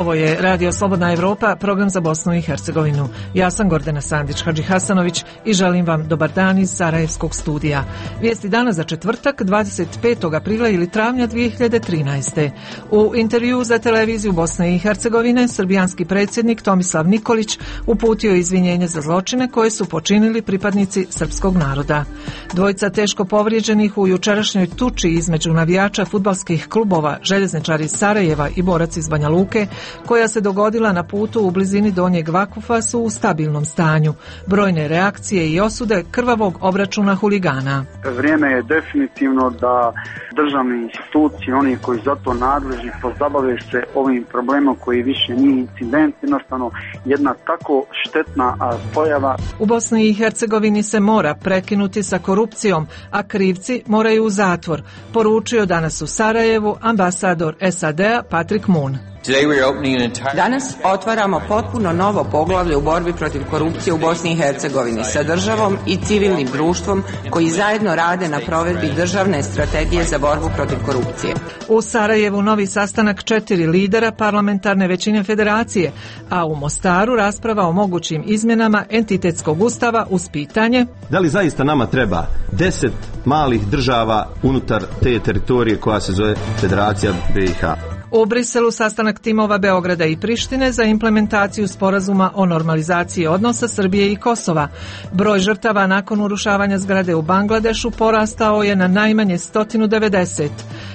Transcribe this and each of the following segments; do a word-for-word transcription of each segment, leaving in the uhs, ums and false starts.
Ovo je Radio Slobodna Evropa, program za Bosnu i Hercegovinu. Ja sam Gordana Sandić-Hadži Hasanović i želim vam dobar dan iz Sarajevskog studija. Vijesti dana za četvrtak, dvadeset petog aprila ili travnja dvije hiljade trinaeste. U intervju za televiziju Bosne i Hercegovine, srbijanski predsjednik Tomislav Nikolić uputio izvinjenje za zločine koje su počinili pripadnici srpskog naroda. Dvojica teško povrijeđenih u jučerašnjoj tuči između navijača fudbalskih klubova Željezničari iz Sarajeva i borac iz Banja Luke, koja se dogodila na putu u blizini Donjeg Vakufa, su u stabilnom stanju. Brojne reakcije i osude krvavog obračuna huligana. Vrijeme je definitivno da državne institucije, oni koji za to nadležni, pozabave se ovim problemom koji više nije incident, jednostavno jedna tako štetna pojava. U Bosni i Hercegovini se mora prekinuti sa korupcijom, a krivci moraju u zatvor, poručio danas u Sarajevu ambasador S A D-a Patrick Moon. Danas otvaramo potpuno novo poglavlje u borbi protiv korupcije u Bosni i Hercegovini sa državom i civilnim društvom koji zajedno rade na provedbi državne strategije za borbu protiv korupcije. U Sarajevu novi sastanak četiri lidera parlamentarne većine federacije, a u Mostaru rasprava o mogućim izmjenama entitetskog ustava uz pitanje: da li zaista nama treba deset malih država unutar te teritorije koja se zove Federacija B i H? U Briselu sastanak timova Beograda i Prištine za implementaciju sporazuma o normalizaciji odnosa Srbije i Kosova. Broj žrtava nakon urušavanja zgrade u Bangladešu porastao je na najmanje sto devedeset.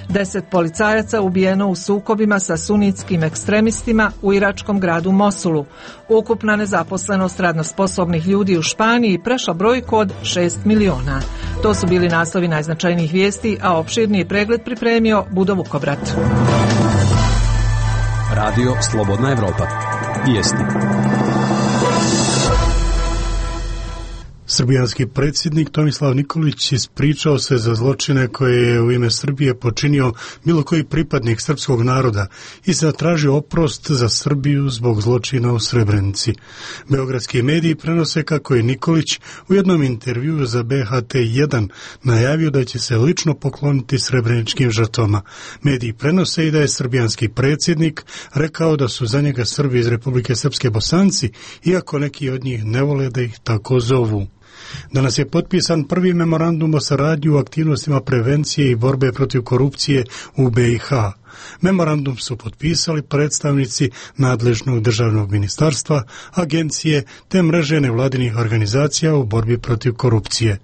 Deset policajaca ubijeno u sukobima sa sunitskim ekstremistima u iračkom gradu Mosulu. Ukupna nezaposlenost radno sposobnih ljudi u Španiji prešla brojku od šest miliona. To su bili naslovi najznačajnijih vijesti, a opširniji pregled pripremio Budo Vukobrat. Radio Slobodna Evropa. Vijesti. Srbijanski predsjednik Tomislav Nikolić ispričao se za zločine koje je u ime Srbije počinio bilo koji pripadnik srpskog naroda i zatražio oprost za Srbiju zbog zločina u Srebrenici. Beogradski mediji prenose kako je Nikolić u jednom intervjuu za B H T jedan najavio da će se lično pokloniti srebreničkim žrtvama. Mediji prenose i da je srbijanski predsjednik rekao da su za njega Srbi iz Republike Srpske Bosanci, iako neki od njih ne vole da ih tako zovu. Danas je potpisan prvi memorandum o saradnji u aktivnostima prevencije i borbe protiv korupcije u B i H. Memorandum su potpisali predstavnici nadležnog državnog ministarstva, agencije te mreže nevladinih organizacija u borbi protiv korupcije.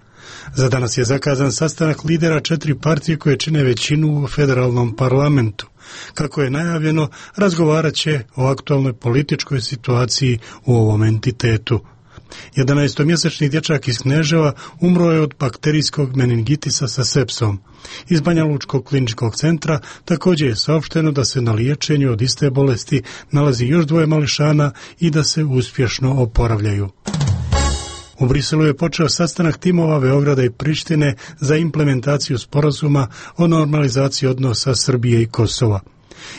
Za danas je zakazan sastanak lidera četiri partije koje čine većinu u federalnom parlamentu. Kako je najavljeno, razgovarat će o aktualnoj političkoj situaciji u ovom entitetu. jedanaestomjesečni dječak iz Kneževa umro je od bakterijskog meningitisa sa sepsom. Iz Banjalučkog kliničkog centra također je saopšteno da se na liječenju od iste bolesti nalazi još dvoje mališana i da se uspješno oporavljaju. U Briselu je počeo sastanak timova Beograda i Prištine za implementaciju sporazuma o normalizaciji odnosa Srbije i Kosova.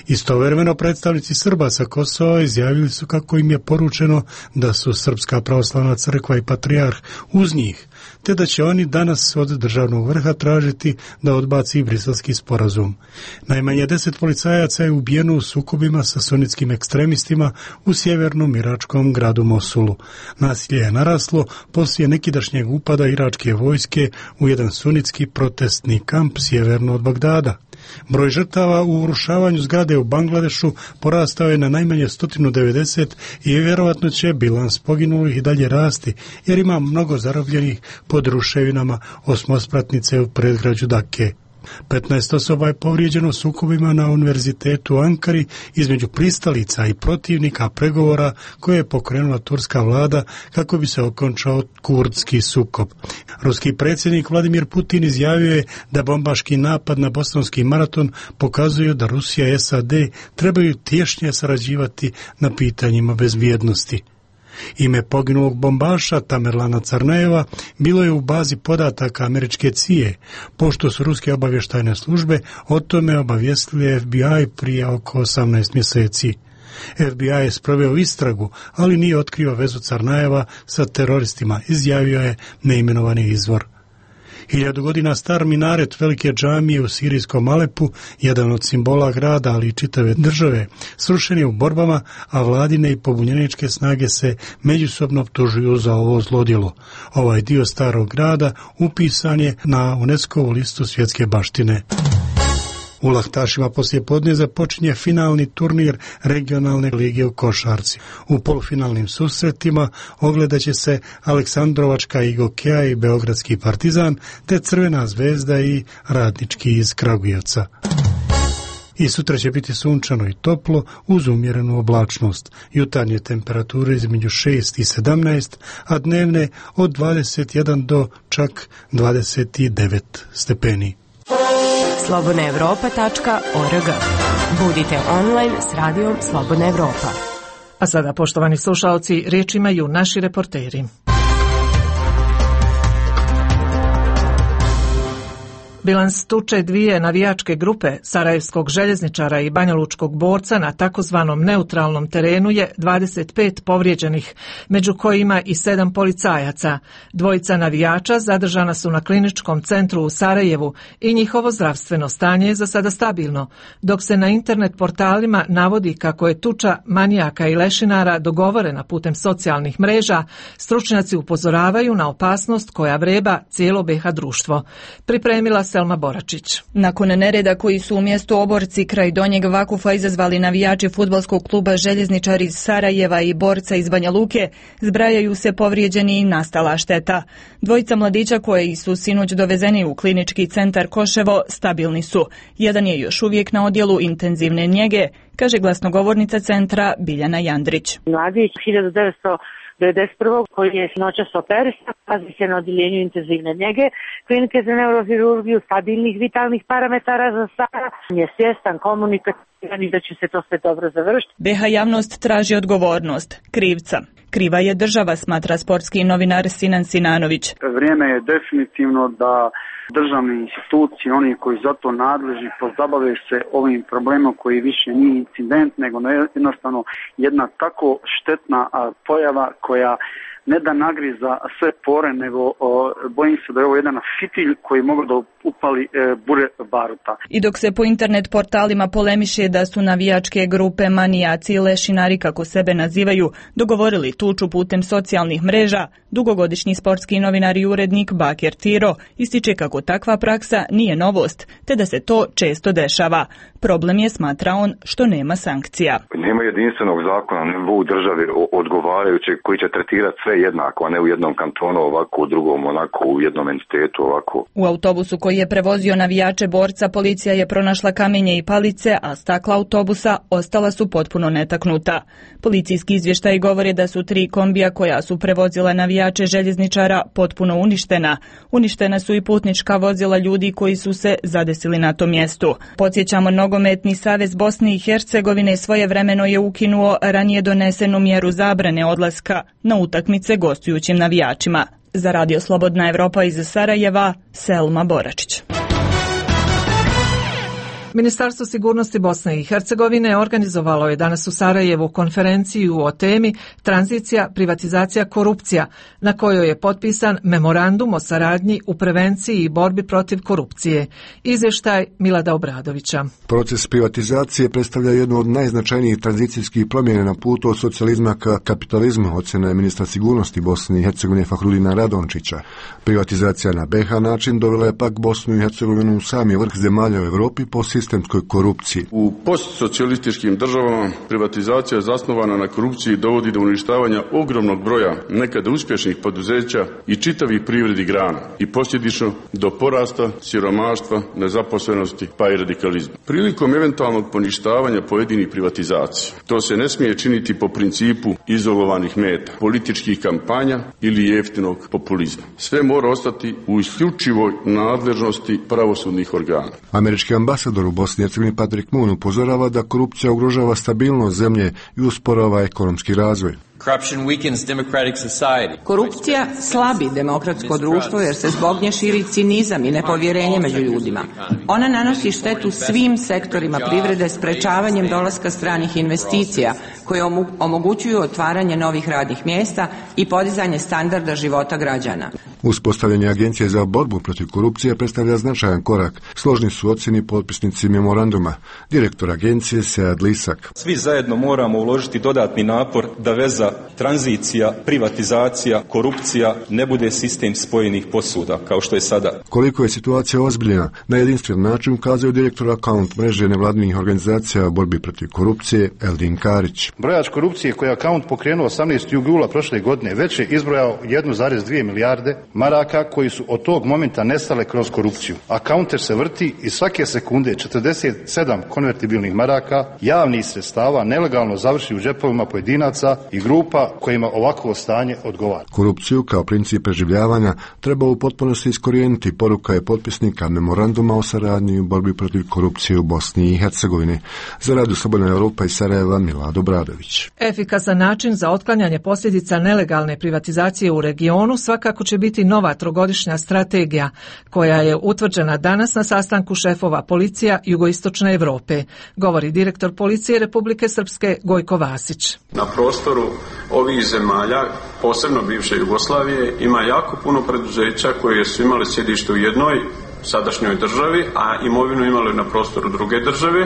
Istovremeno predstavnici Srba sa Kosova izjavili su kako im je poručeno da su Srpska pravoslavna crkva i patrijarh uz njih, te da će oni danas od državnog vrha tražiti da odbaci briselski sporazum. Najmanje deset policajaca je ubijeno u sukobima sa sunitskim ekstremistima u sjevernom iračkom gradu Mosulu. Nasilje je naraslo poslije nekidašnjeg upada iračke vojske u jedan sunitski protestni kamp sjeverno od Bagdada. Broj žrtava u urušavanju zgrade u Bangladešu porastao je na najmanje sto devedeset i vjerovatno će bilans poginulih i dalje rasti, jer ima mnogo zarobljenih pod ruševinama osmospratnice u predgrađu Dake. petnaest osoba je povrijeđeno sukobima na univerzitetu u Ankari između pristalica i protivnika pregovora koje je pokrenula turska vlada kako bi se okončao kurdski sukob. Ruski predsjednik Vladimir Putin izjavio je da bombaški napad na bostonski maraton pokazuje da Rusija i S A D trebaju tješnje sarađivati na pitanjima bezbjednosti. Ime poginulog bombaša Tamerlana Carnejeva bilo je u bazi podataka američke C I A, pošto su ruske obavještajne službe o tome obavijestili F B I prije oko osamnaest mjeseci. F B I je sproveo istragu, ali nije otkrio vezu Carnejeva sa teroristima, izjavio je neimenovani izvor. Hiljadu godina star minaret velike džamije u sirijskom Alepu, jedan od simbola grada, ali i čitave države, srušen je u borbama, a vladine i pobunjeničke snage se međusobno optužuju za ovo zlodjelo. Ovaj dio starog grada upisan je na UNESCO-vu listu svjetske baštine. U Lahtašima poslije podne započinje finalni turnir regionalne lige u košarci. U polufinalnim susretima ogledat će se Aleksandrovačka i Gokeja i Beogradski Partizan, te Crvena zvezda i Radnički iz Kragujevca. I sutra će biti sunčano i toplo uz umjerenu oblačnost. Jutarnje temperature između šest i sedamnaest, a dnevne od dvadeset jedan do čak dvadeset devet stepeni. slobodna evropa tačka org. Budite online s radijom Slobodna Evropa. A sada, poštovani slušalci, riječ imaju naši reporteri. Bilans tuče dvije navijačke grupe, sarajevskog željezničara i banjalučkog borca na takozvanom neutralnom terenu je dvadeset pet povrijeđenih, među kojima i sedam policajaca. Dvojica navijača zadržana su na kliničkom centru u Sarajevu i njihovo zdravstveno stanje je za sada stabilno, dok se na internet portalima navodi kako je tuča manijaka i lešinara dogovorena putem socijalnih mreža. Stručnjaci upozoravaju na opasnost koja vreba cijelo be ha društvo. Pripremila Selma Boračić. Nakon nereda koji su umjesto oborci kraj Donjeg Vakufa izazvali navijači fudbalskog kluba Željezničar iz Sarajeva i borca iz Banja Luke, zbrajaju se povrijeđeni i nastala šteta. Dvojica mladića koji su sinoć dovezeni u klinički centar Koševo stabilni su. Jedan je još uvijek na odjelu intenzivne njege, kaže glasnogovornica centra Biljana Jandrić. Mladić hiljadu devetsto devedeset prvog koji je noćas operisan, nalazi se na odjeljenju intenzivne njege klinike za neurohirurgiju, stabilnih vitalnih parametara za sada, je svjestan, komunikativan i da će se to sve dobro završiti. be ha javnost traži odgovornost krivca. Kriva je država, smatra sportski novinar Sinan Sinanović. Vrijeme je definitivno da državne institucije, oni koji za to nadležni, pozabave se ovim problemom koji više nije incident, nego jednostavno jedna tako štetna pojava koja ne da nagriza sve pore, nego o, bojim se da je ovo jedan fitilj koji mogu da upali e, bure baruta. I dok se po internet portalima polemiše da su navijačke grupe manijaci i lešinari, kako sebe nazivaju, dogovorili tuču putem socijalnih mreža, dugogodišnji sportski novinar i urednik Bakir Tiro ističe kako takva praksa nije novost, te da se to često dešava. Problem je, smatra on, što nema sankcija. Nema jedinstvenog zakona u državi odgovarajućeg koji će tretirati sve jednako, a ne u jednom kantonu ovako, u drugom onako, u jednom entitetu ovako. U autobusu koji je prevozio navijače borca policija je pronašla kamenje i palice, a stakla autobusa ostala su potpuno netaknuta. Policijski izvještaji govore da su tri kombija koja su prevozila navijače Željezničara potpuno uništena. Uništena su i putnička vozila ljudi koji su se zadesili na tom mjestu. Podsjećamo, Nogometni savez Bosne i Hercegovine svojevremeno je ukinuo ranije donesenu mjeru zabrane odlaska na utakmice gostujućim navijačima. Za Radio Slobodna Evropa iz Sarajeva, Selma Boračić. Ministarstvo sigurnosti Bosne i Hercegovine organizovalo je danas u Sarajevu konferenciju o temi tranzicija, privatizacija, korupcija, na kojoj je potpisan memorandum o saradnji u prevenciji i borbi protiv korupcije. Izvještaj Milada Obradovića. Proces privatizacije predstavlja jednu od najznačajnijih tranzicijskih promjena na putu od socijalizma ka kapitalizmu, ocjena je ministra sigurnosti Bosne i Hercegovine Fahrudina Radončića. Privatizacija na be ha način dovela je pak Bosnu i Hercegovinu u sami vrh zemalja u Europi po sistemskoj korupciji. U postsocijalističkim državama privatizacija zasnovana na korupciji dovodi do uništavanja ogromnog broja nekada uspješnih poduzeća i čitavih privrednih grana i posljedično do porasta, siromaštva, nezaposlenosti pa i radikalizma. Prilikom eventualnog poništavanja pojedinih privatizacija to se ne smije činiti po principu izolovanih meta, političkih kampanja ili jeftinog populizma. Sve mora ostati u isključivoj nadležnosti pravosudnih organa. Američki ambasador u Bosni i Hercegovini Patrick Moon upozorava da korupcija ugrožava stabilnost zemlje i usporava ekonomski razvoj. Korupcija slabi demokratsko društvo jer se zbog nje širi cinizam i nepovjerenje među ljudima. Ona nanosi štetu svim sektorima privrede sprečavanjem dolaska stranih investicija koje omogućuju otvaranje novih radnih mjesta i podizanje standarda života građana. Uspostavljanje Agencije za borbu protiv korupcije predstavlja značajan korak. Složni su ocjeni potpisnici memoranduma. Direktor agencije Sead Lisak. Svi zajedno moramo uložiti dodatni napor da veza tranzicija, privatizacija, korupcija ne bude sistem spojenih posuda kao što je sada. Koliko je situacija ozbiljna, na jedinstven način ukazuje direktor akaunt mreže nevladinih organizacija o borbi protiv korupcije Eldin Karić. Brojač korupcije koji je akaunt pokrenuo osamnaestog jula prošle godine već je izbrojao jednu zarez dvije milijarde maraka koji su od tog momenta nestale kroz korupciju. Akaunter se vrti i svake sekunde četrdeset sedam konvertibilnih maraka javnih sredstava nelegalno završi u džepovima pojedinaca i grupa kojima ovakvo stanje odgovara. Korupciju kao princip preživljavanja treba u potpunosti iskorijeniti, poruka je potpisnika memoranduma o saradnji u borbi protiv korupcije u Bosni i Hercegovini. Za Radio Slobodna Europa iz Sarajeva, Milado Bradović. Efikasan način za otklanjanje posljedica nelegalne privatizacije u regionu svakako će biti nova trogodišnja strategija koja je utvrđena danas na sastanku šefova policija jugoistočne Europe, govori direktor policije Republike Srpske Gojko Vasić. Na prostoru ovih zemalja, posebno bivše Jugoslavije, ima jako puno preduzeća koje su imali sjedište u jednoj sadašnjoj državi, a imovinu imali na prostoru druge države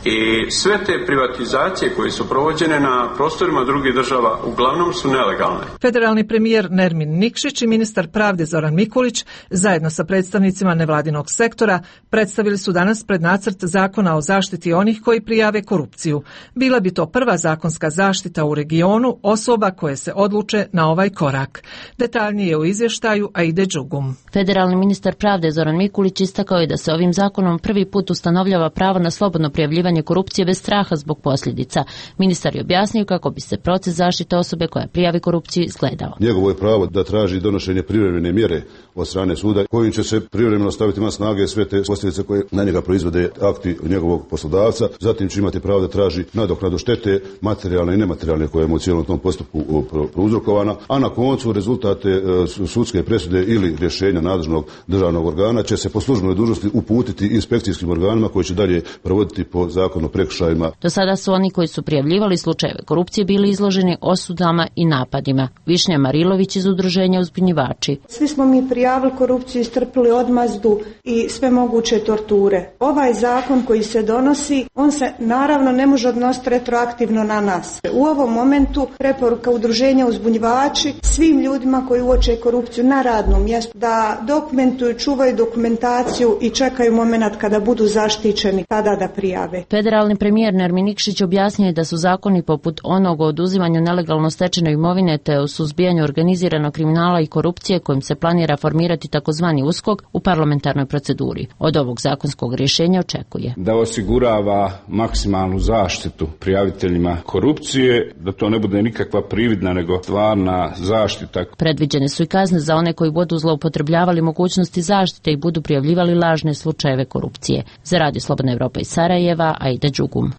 i sve te privatizacije koje su provođene na prostorima drugih država uglavnom su nelegalne. Federalni premijer Nermin Nikšić i ministar pravde Zoran Mikulić zajedno sa predstavnicima nevladinog sektora predstavili su danas prednacrt zakona o zaštiti onih koji prijave korupciju. Bila bi to prva zakonska zaštita u regionu osoba koje se odluče na ovaj korak. Detaljnije u izvještaju Aide Đugum. Federalni ministar pravde Zoran Mikulić Mikulić istakao je da se ovim zakonom prvi put ustanovljava pravo na slobodno prijavljivanje korupcije bez straha zbog posljedica. Ministar je objasnio kako bi se proces zaštite osobe koja prijavi korupciju izgledao. Njegovo je pravo da traži donošenje privremene mjere od strane suda kojim će se privremeno staviti na snage sve te posljedice koje na njega proizvode akti njegovog poslodavca. Zatim će imati pravo da traži nadoknadu štete materijalne i nematerijalne koja je u cijelom tom postupku prouzrokovana, a na koncu rezultate sudske presude ili rješenja nadležnog državnog organa će se po službenoj dužnosti uputiti inspekcijskim organima koji će dalje provoditi po zakonu o prekršajima. Do sada su oni koji su prijavljivali slučajeve korupcije bili izloženi osudama i napadima. Višnja Marilović iz udruženja Uzbunjivači. Svi smo mi prijavili korupciju, istrpili odmazdu i sve moguće torture. Ovaj zakon koji se donosi, on se naravno ne može odnositi retroaktivno na nas. U ovom momentu preporuka udruženja Uzbunjivači svim ljudima koji uoče korupciju na radnom mjestu da dokumentuju, čuvaju dokumentaciju i čekaju moment kada budu zaštićeni, tada da prijave. Federalni premijer Nermin Nikšić objasnio je da su zakoni poput onog o oduzimanju nelegalno stečene imovine te o suzbijanju organiziranog kriminala i korupcije kojim se planira formirati takozvani uskok u parlamentarnoj proceduri. Od ovog zakonskog rješenja očekuje da osigurava maksimalnu zaštitu prijaviteljima korupcije, da to ne bude nikakva prividna nego stvarna zaštita. Predviđene su i kazne za one koji budu zloupotrebljavali mogućnosti zaštite i budu prijavljivali lažne slučajeve korupcije. Za Radio Slobodna Evropa iz Sarajeva, Aida Đugum.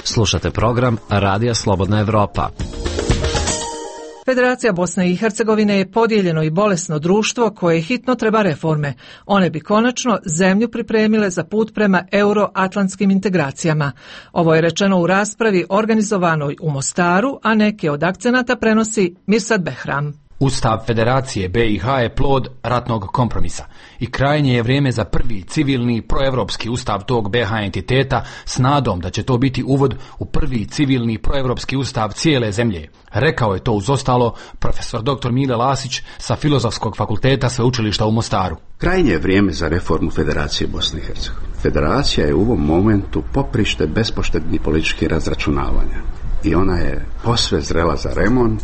Slušate program Radija Slobodna Evropa. Federacija Bosne i Hercegovine je podijeljeno i bolesno društvo koje hitno treba reforme. One bi konačno zemlju pripremile za put prema euroatlantskim integracijama. Ovo je rečeno u raspravi organizovanoj u Mostaru, a neke od akcenata prenosi Mirsad Behram. Ustav Federacije B i H je plod ratnog kompromisa i krajnje je vrijeme za prvi civilni proevropski ustav tog B H entiteta s nadom da će to biti uvod u prvi civilni proevropski ustav cijele zemlje. Rekao je to uz ostalo profesor doktor Mile Lasić sa Filozofskog fakulteta Sveučilišta u Mostaru. Krajnje je vrijeme za reformu Federacije Bosne i Hercegovine. Federacija je u ovom momentu poprište bespoštednih političkih razračunavanja i ona je posve zrela za remont.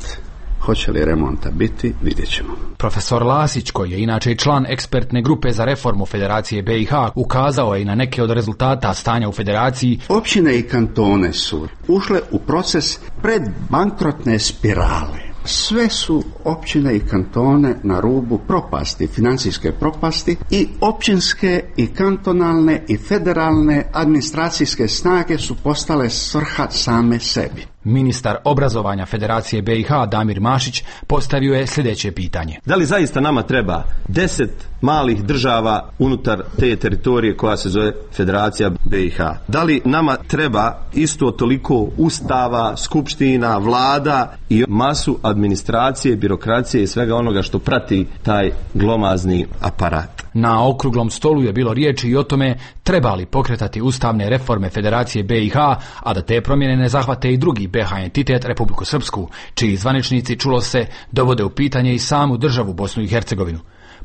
Hoće li remonta biti, vidjet ćemo. Profesor Lasić, koji je inače član ekspertne grupe za reformu Federacije B i H, ukazao je i na neke od rezultata stanja u Federaciji. Općine i kantone su ušle u proces predbankrotne spirale. sve su općine i kantone na rubu propasti, financijske propasti, i općinske i kantonalne i federalne administracijske snage su postale svrha same sebi. Ministar obrazovanja Federacije B i H Damir Mašić postavio je sljedeće pitanje. Da li zaista nama treba deset malih država unutar te teritorije koja se zove Federacija B i H? Da li nama treba isto toliko ustava, skupština, vlada i masu administracije, birokracije i svega onoga što prati taj glomazni aparat? Na okruglom stolu je bilo riječi i o tome treba li pokretati ustavne reforme Federacije B i H, a da te promjene ne zahvate i drugi B H entitet, Republiku Srpsku, čiji zvaničnici, čulo se, dovode u pitanje i samu državu Bosnu i Hercegovinu.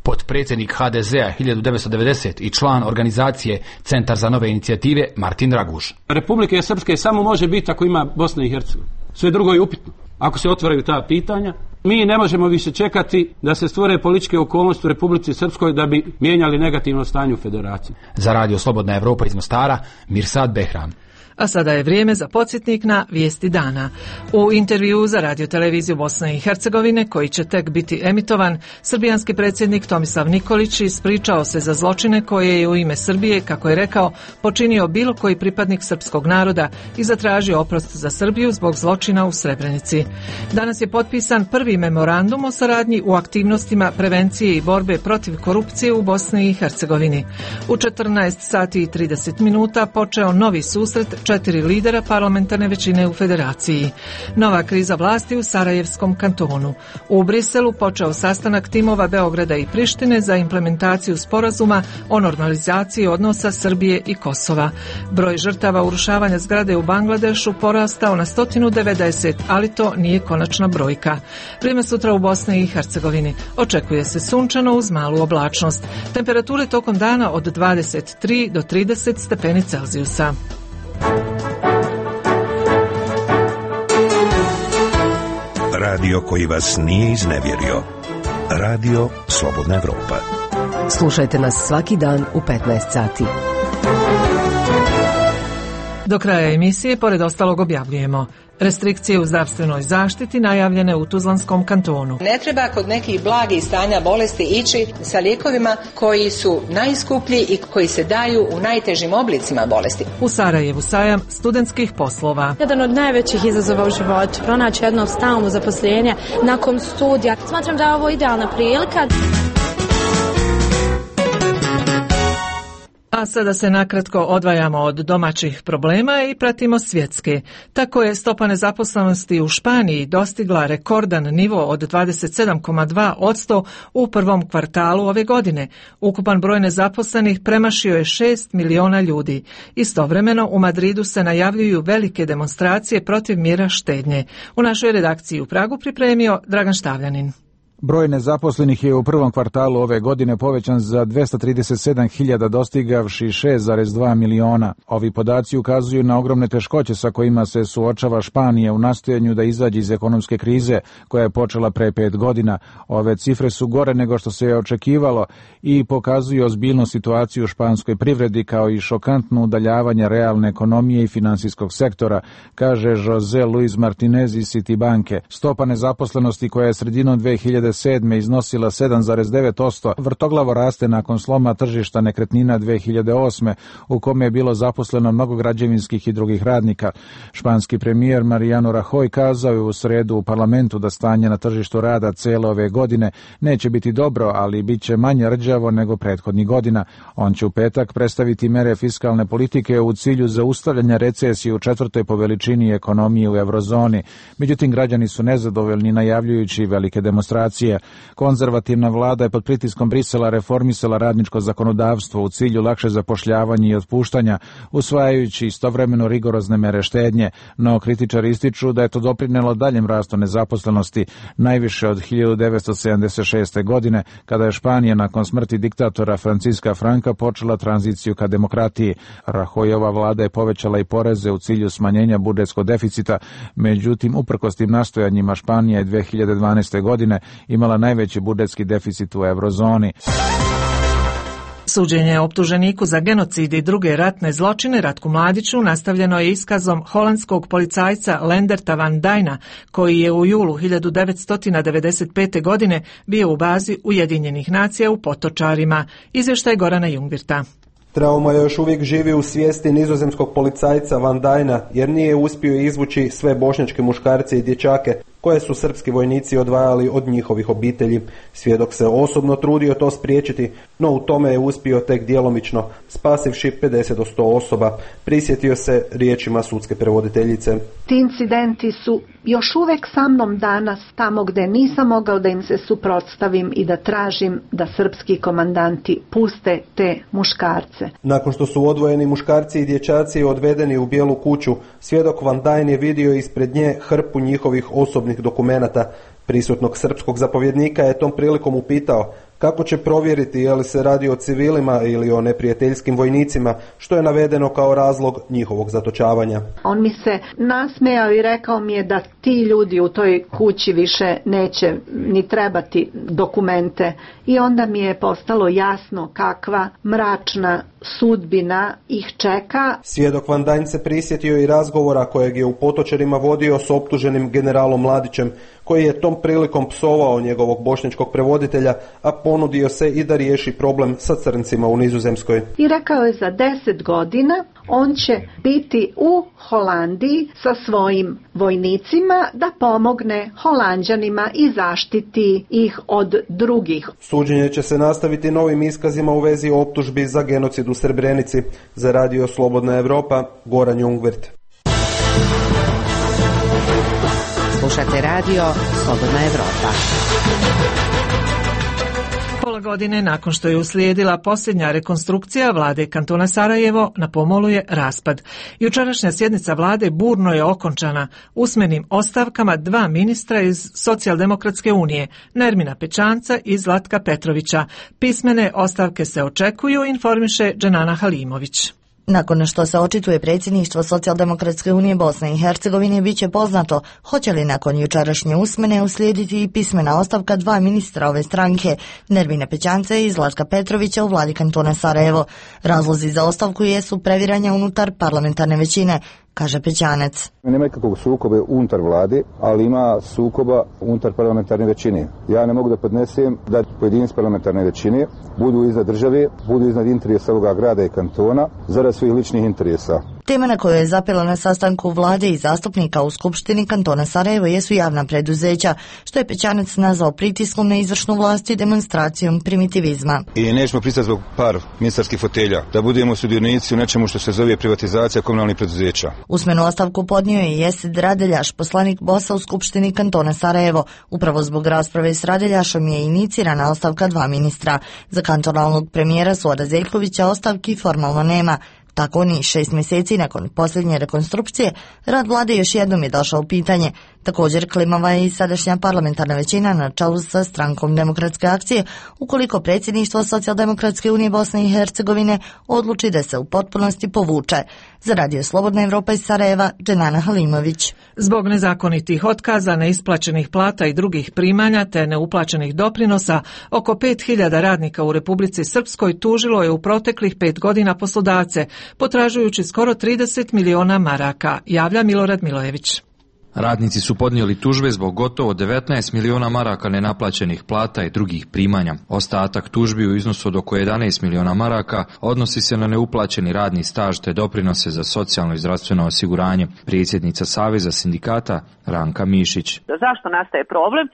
Potpredsjednik H D Z-a hiljadu devetsto devedeset i član organizacije Centar za nove inicijative Martin Raguž. Republike Srpske samo može biti ako ima Bosna i Hercegovina. Sve drugo je upitno. Ako se otvaraju ta pitanja, mi ne možemo više čekati da se stvore političke okolnosti u Republici Srpskoj da bi mijenjali negativno stanje u federaciji. Za Radio Slobodna Evropa iz Mostara, Mirsad Behram. A sada je vrijeme za podsjetnik na vijesti dana. U intervjuu za radioteleviziju Bosne i Hercegovine, koji će tek biti emitovan, srbijanski predsjednik Tomislav Nikolić ispričao se za zločine koje je u ime Srbije, kako je rekao, počinio bilo koji pripadnik srpskog naroda i zatražio oprost za Srbiju zbog zločina u Srebrenici. Danas je potpisan prvi memorandum o saradnji u aktivnostima prevencije i borbe protiv korupcije u Bosni i Hercegovini. U četrnaest sati i trideset minuta počeo novi susret četiri lidera parlamentarne većine u federaciji. Nova kriza vlasti u Sarajevskom kantonu. U Briselu počeo sastanak timova Beograda i Prištine za implementaciju sporazuma o normalizaciji odnosa Srbije i Kosova. Broj žrtava urušavanja zgrade u Bangladešu porastao na sto devedeset, ali to nije konačna brojka. Vrijeme sutra u Bosni i Hercegovini. Očekuje se sunčano uz malu oblačnost. Temperature tokom dana od dvadeset tri do trideset stepeni Celzijusa. Radio koji vas nije iznevjerio. Radio Slobodna Evropa. Slušajte nas svaki dan u petnaest sati. Do kraja emisije, pored ostalog, objavljujemo restrikcije u zdravstvenoj zaštiti najavljene u Tuzlanskom kantonu. Ne treba kod nekih blagih stanja bolesti ići sa lijekovima koji su najskuplji i koji se daju u najtežim oblicima bolesti. U Sarajevu sajam studentskih poslova. Jedan od najvećih izazova u životu, pronaći jedno stalno zaposlenje nakon studija. Smatram da je ovo idealna prilika. A sada se nakratko odvajamo od domaćih problema i pratimo svjetske. Tako je stopa nezaposlenosti u Španiji dostigla rekordan nivo od dvadeset sedam zarez dva posto u prvom kvartalu ove godine. Ukupan broj nezaposlenih premašio je šest miliona ljudi. Istovremeno u Madridu se najavljuju velike demonstracije protiv mjera štednje. U našoj redakciji u Pragu pripremio Dragan Štavljanin. Broj nezaposlenih je u prvom kvartalu ove godine povećan za dvesta trideset sedam hiljada, dostigavši šest zarez dva miliona. Ovi podaci ukazuju na ogromne teškoće sa kojima se suočava Španija u nastojanju da izađe iz ekonomske krize koja je počela pre pet godina. Ove cifre su gore nego što se je očekivalo i pokazuju ozbiljnu situaciju u španskoj privredi kao i šokantno udaljavanje realne ekonomije i finansijskog sektora, kaže José Luis Martinez iz Citibanke. Stopa nezaposlenosti koja je sredinom dve hiljade sedme iznosila sedam zarez devet posto, vrtoglavo raste nakon sloma tržišta nekretnina dve hiljade osme, u kome je bilo zaposleno mnogo građevinskih i drugih radnika. Španski premijer Mariano Rajoy kazao je u sredu u parlamentu da stanje na tržištu rada cele ove godine neće biti dobro, ali bit će manje rđavo nego prethodnih godina. On će u petak predstaviti mere fiskalne politike u cilju zaustavljanja recesije u četvrtoj po veličini ekonomije u eurozoni. Međutim, građani su nezadovoljni, najavljujući velike demonstracije. Konzervativna vlada je pod pritiskom Brisela reformisala radničko zakonodavstvo u cilju lakše zapošljavanja i otpuštanja, usvajajući istovremeno rigorozne mere štednje, no kritičari ističu da je to doprinelo daljem rastu nezaposlenosti, najviše od hiljadu devetsto sedamdeset šeste. godine, kada je Španija nakon smrti diktatora Franciska Franka počela tranziciju ka demokratiji. Rahojova vlada je povećala i poreze u cilju smanjenja budžetskog deficita, međutim, uprkos tim nastojanjima Španija je dve hiljade dvanaeste. godine imala najveći budžetski deficit u eurozoni. Suđenje optuženiku za genocid i druge ratne zločine Ratku Mladiću nastavljeno je iskazom holandskog policajca Lenderta van Dijna, koji je u julu hiljadu devetsto devedeset pete. godine bio u bazi Ujedinjenih nacija u Potočarima. Izvještaj Gorana Jungvirta. Trauma još uvijek živi u svijesti nizozemskog policajca Van Dijna, jer nije uspio izvući sve bošnjačke muškarce i dječake koje su srpski vojnici odvajali od njihovih obitelji. Svjedok se osobno trudio to spriječiti, no u tome je uspio tek djelomično, spasivši pedeset do sto osoba. Prisjetio se riječima sudske prevoditeljice. Ti incidenti su još uvijek sa mnom danas, tamo gdje nisam mogao da im se suprotstavim i da tražim da srpski komandanti puste te muškarce. Nakon što su odvojeni muškarci i dječaci odvedeni u bijelu kuću, svjedok Van Dijn je vidio ispred nje hrpu njihovih osobnih dokumenata. Prisutnog srpskog zapovjednika je tom prilikom upitao kako će provjeriti je li se radi o civilima ili o neprijateljskim vojnicima, što je navedeno kao razlog njihovog zatočavanja. On mi se nasmejao i rekao mi je da ti ljudi u toj kući više neće ni trebati dokumente. I onda mi je postalo jasno kakva mračna sudbina ih čeka. Svjedok Van Dijn se prisjetio i razgovora kojeg je u Potočarima vodio s optuženim generalom Mladićem, koji je tom prilikom psovao njegovog bošnjačkog prevoditelja, a ponudio se i da riješi problem sa crncima u Nizozemskoj. I rekao je za deset godina on će biti u Holandiji sa svojim vojnicima da pomogne Holanđanima i zaštiti ih od drugih. Suđenje će se nastaviti novim iskazima u vezi optužbi za genocid u Srebrenici. Za Radio Slobodna Evropa, Goran Jungvirt. Slušate radio Slobodna Evropa. Pola godine nakon što je uslijedila posljednja rekonstrukcija vlade kantona Sarajevo, na pomolu je raspad. Jučerašnja sjednica vlade burno je okončana usmenim ostavkama dva ministra iz Socijaldemokratske unije, Nermina Pećanca i Zlatka Petrovića. Pismene ostavke se očekuju, informiše Dženana Halimović. Nakon što se očituje predsjedništvo Socijaldemokratske unije Bosne i Hercegovine, bit će poznato hoće li nakon jučerašnje usmene uslijediti i pismena ostavka dva ministra ove stranke, Nermine Pećance i Zlatka Petrovića u vladi kantona Sarajevo. Razlozi za ostavku jesu previranja unutar parlamentarne većine, kaže Pećanec. Nema nikakvog sukoba unutar vlade, ali ima sukoba unutar parlamentarne većine. Ja ne mogu da podnesem da pojedinci parlamentarne većine budu iznad države, budu iznad interesa ovoga grada i kantona, zarad svojih ličnih interesa. Tema na kojoj je zapela na sastanku vlade i zastupnika u Skupštini kantona Sarajevo jesu javna preduzeća, što je Pećanec nazvao pritiskom na izvršnu vlast i demonstracijom primitivizma. I nećemo pristati zbog par ministarskih fotelja da budemo sudionici u nečemu što se zove privatizacija komunalnih preduzeća. Usmenu ostavku podnio je Jesid Radeljaš, poslanik B O S-a u Skupštini kantona Sarajevo. Upravo zbog rasprave s Radeljašom je inicirana ostavka dva ministra. Za kantonalnog premijera Suada Zeljkovića ostavki formalno nema. Tako ni šest mjeseci nakon posljednje rekonstrukcije, rad vlade još jednom je došao u pitanje. Također klimava je i sadašnja parlamentarna većina na čelu sa strankom Demokratske akcije, ukoliko predsjedništvo Socijaldemokratske unije Bosne i Hercegovine odluči da se u potpunosti povuče. Za Radio Slobodna Evropa iz Sarajeva, Dženana Halimović. Zbog nezakonitih otkaza, neisplaćenih plata i drugih primanja te neuplaćenih doprinosa, oko pet hiljada radnika u Republici Srpskoj tužilo je u proteklih pet godina poslodavce, potražujući skoro trideset miliona maraka, javlja Milorad Milojević. Radnici su podnijeli tužbe zbog gotovo devetnaest miliona maraka nenaplaćenih plata i drugih primanja. Ostatak tužbi u iznosu od oko jedanaest miliona maraka odnosi se na neuplaćeni radni staž te doprinose za socijalno i zdravstveno osiguranje. Predsjednica Saveza sindikata Ranka Mišić. Zašto nastaje problem?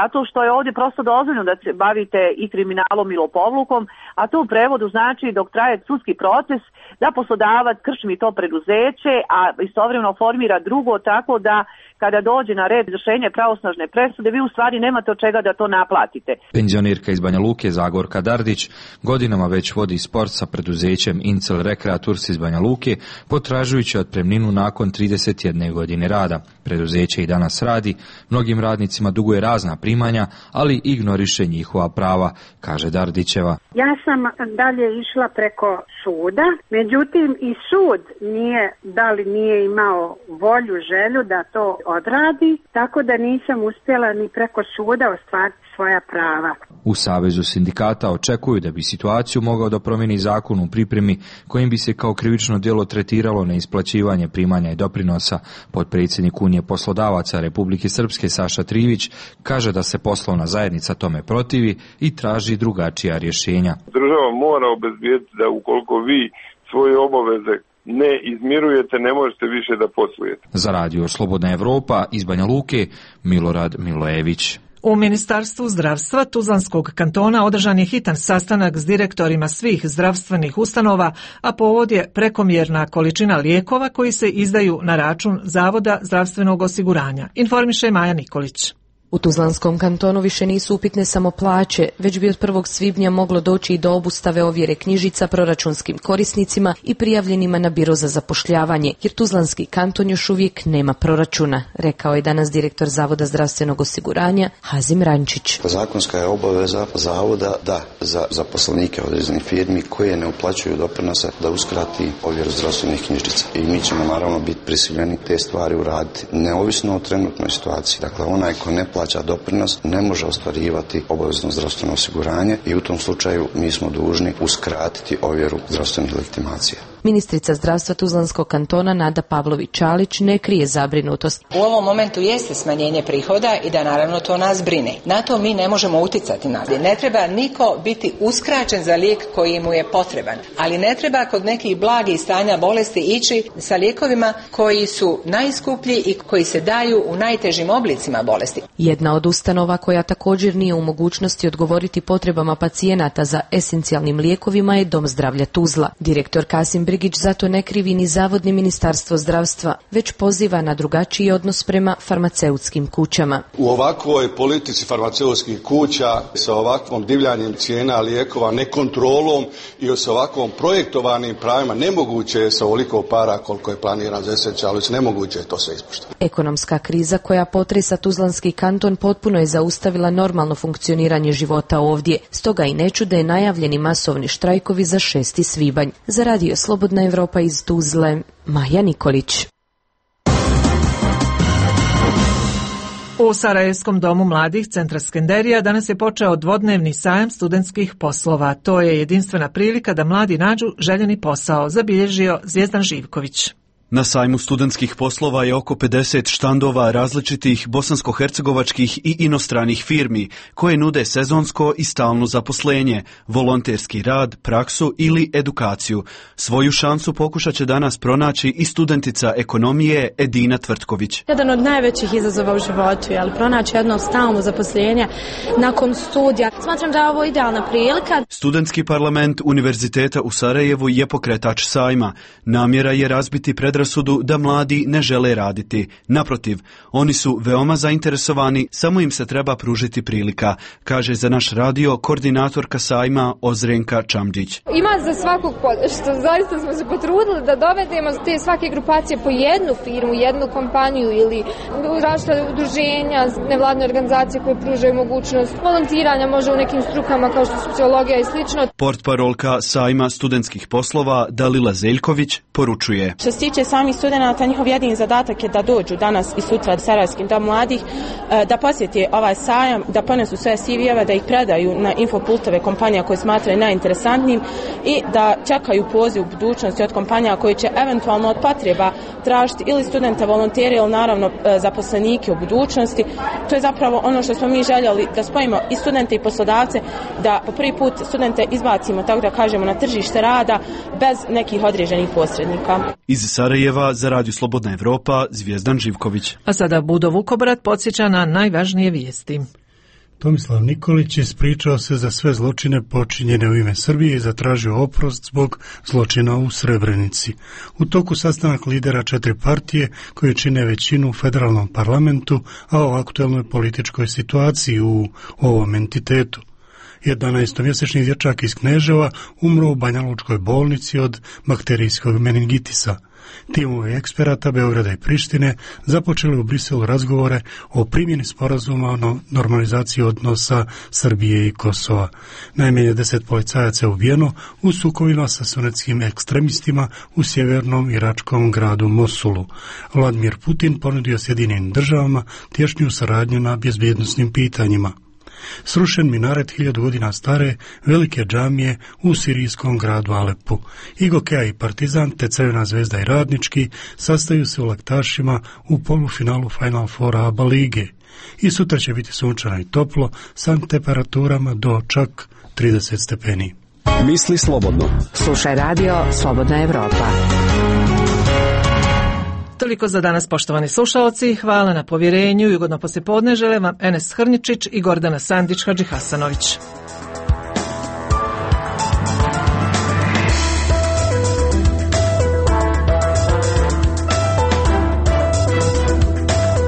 Zato što je ovdje prosto dozvoljeno da se bavite i kriminalom i lopovlukom, a to u prevodu znači dok traje sudski proces da poslodavac krčmi to preduzeće, a istovremeno formira drugo tako da kada dođe na red izvršenje pravosnažne presude, vi u stvari nemate od čega da to naplatite. Penzionirka iz Banja Luke Zagorka Dardić godinama već vodi spor sa preduzećem Incel Rekreaturs iz Banja Luke, potražujući otpremninu nakon trideset jedne godine rada. Preduzeće i danas radi, mnogim radnicima duguje razna primanja, ali ignoriše njihova prava, kaže Dardićeva. Ja sam dalje išla preko suda, međutim i sud nije, da li nije imao volju, želju da to odradi, tako da nisam uspjela ni preko suda ostvariti svoja prava. U Savezu sindikata očekuju da bi situaciju mogao da promijeni zakon u pripremi kojim bi se kao krivično djelo tretiralo neisplaćivanje primanja i doprinosa. Potpredsjednik Unije poslodavaca Republike Srpske Saša Trivić kaže da se poslovna zajednica tome protivi i traži drugačija rješenja. Država mora obezbijediti da ukoliko vi svoje obaveze ne izmirujete, ne možete više da poslujete. Za radio Slobodna Evropa iz Banja Luke, Milorad Milojević. U Ministarstvu zdravstva Tuzlanskog kantona održan je hitan sastanak s direktorima svih zdravstvenih ustanova, a povod je prekomjerna količina lijekova koji se izdaju na račun Zavoda zdravstvenog osiguranja, informiše Maja Nikolić. U Tuzlanskom kantonu više nisu upitne samo plaće, već bi od prvog svibnja moglo doći i do obustave ovjere knjižica proračunskim korisnicima i prijavljenima na biro za zapošljavanje, jer Tuzlanski kanton još uvijek nema proračuna, rekao je danas direktor Zavoda zdravstvenog osiguranja Hazim Rančić. Zakonska je obaveza Zavoda da za zaposlenike određenih firmi koje ne uplaćuju doprinose da uskrati ovjeru zdravstvenih knjižica. I mi ćemo naravno biti prisiljeni te stvari uraditi, neovisno o trenutnoj situaciji. Dakle, onaj ko ne plaća doprinos ne može ostvarivati obavezno zdravstveno osiguranje i u tom slučaju mi smo dužni uskratiti ovjeru zdravstvenih legitimacija. Ministrica zdravstva Tuzlanskog kantona Nada Pavlović-Čalić ne krije zabrinutost. U ovom momentu jeste smanjenje prihoda i da naravno to nas brine. Na to mi ne možemo uticati. Ne treba niko biti uskraćen za lijek koji mu je potreban, ali ne treba kod nekih blagih stanja bolesti ići sa lijekovima koji su najskuplji i koji se daju u najtežim oblicima bolesti. Jedna od ustanova koja također nije u mogućnosti odgovoriti potrebama pacijenata za esencijalnim lijekovima je Dom zdravlja Tuzla. Direktor Kasim Brigić zato ne krivi ni Zavod ni Ministarstvo zdravstva, već poziva na drugačiji odnos prema farmaceutskim kućama. U ovakvoj politici farmaceutskih kuća, sa ovakvom divljanjem cijena lijekova, nekontrolom i sa ovakvom projektovanim pravima, nemoguće je sa ovoliko para koliko je planiran za esencijalnost, nemoguće je to sve ispoštovati. Ekonomska kriza koja potresa Tuzlanski kanton potpuno je zaustavila normalno funkcioniranje života ovdje, stoga i ne čude najavljeni masovni štrajkovi za šesti svibanj. Za radio Slobodna Evropa iz Tuzle, Maja Nikolić. U Sarajevskom domu mladih Centra Skenderija danas je počeo dvodnevni sajam studentskih poslova. To je jedinstvena prilika da mladi nađu željeni posao, zabilježio Zvijezdan Živković. Na sajmu studentskih poslova je oko pedeset štandova različitih bosansko-hercegovačkih i inostranih firmi koje nude sezonsko i stalno zaposlenje, volonterski rad, praksu ili edukaciju. Svoju šansu pokušat će danas pronaći i studentica ekonomije Edina Tvrtković. Jedan od najvećih izazova u životu je pronaći jedno stalno zaposlenje nakon studija. Smatram da je ovo idealna prilika. Studentski parlament Univerziteta u Sarajevu je pokretač sajma. Namjera je razbiti predrasudu da mladi ne žele raditi. Naprotiv, oni su veoma zainteresovani, samo im se treba pružiti prilika, kaže za naš radio koordinatorka sajma Ozrenka Čamđić. Ima za svakog podršta. Zaista smo se potrudili da dovedemo te svake grupacije po jednu firmu, jednu kompaniju ili različite udruženja, nevladne organizacije koje pružaju mogućnost volontiranja, može u nekim strukama kao što su sociologija i slično. Portparolka sajma studentskih poslova Dalila Zeljković poručuje. Što se tiče samih studenata, njihov jedini zadatak je da dođu danas i sutra u Sarajevskim dom mladih, da posjeti ovaj sajam, da ponesu sve C V-eve, da ih predaju na infopultove kompanija koje smatraju najinteresantnijim i da čekaju poziv u budućnosti od kompanija koji će eventualno od potreba tražiti ili studente, volontere ili naravno zaposlenike u budućnosti. To je zapravo ono što smo mi željeli, da spojimo i studente i poslodavce, da po prvi put studente izbacimo, tako da kažemo, na tržište rada bez nekih određenih posrednika. Iz Sarajeva za Radio Slobodna Evropa, Zvijezdan Živković. A sada Budo Vukobrat podsjeća na najvažnije vijesti. Tomislav Nikolić ispričao se za sve zločine počinjene u ime Srbije i zatražio oprost zbog zločina u Srebrenici. U toku sastanak lidera četiri partije koje čine većinu u federalnom parlamentu, a o aktuelnoj političkoj situaciji u ovom entitetu. jedanaestomjesečni dječak iz Kneževa umro u Banja Lučkoj bolnici od bakterijskog meningitisa. Timovi eksperata Beograda i Prištine započeli u Briselu razgovore o primjeni sporazuma o normalizaciji odnosa Srbije i Kosova. Najmanje deset policajaca je ubijeno u sukobima sa sunetskim ekstremistima u sjevernom iračkom gradu Mosulu. Vladimir Putin ponudio Sjedinjenim državama tješnju saradnju na bezbjednosnim pitanjima. Srušen minaret hiljadu godina stare velike džamije u sirijskom gradu Alepu. Igokea i Partizan, te Crvena zvezda i Radnički sastaju se u Laktašima u polufinalu Final Foura ABA lige. I sutra će biti sunčano i toplo sa temperaturama do čak trideset stepeni. Misli slobodno. Slušaj radio Slobodna Evropa. Toliko za danas, poštovani slušalci. Hvala na povjerenju i ugodno poslijepodne žele vam Enes Hrničić i Gordana Sandić Hadžihasanović.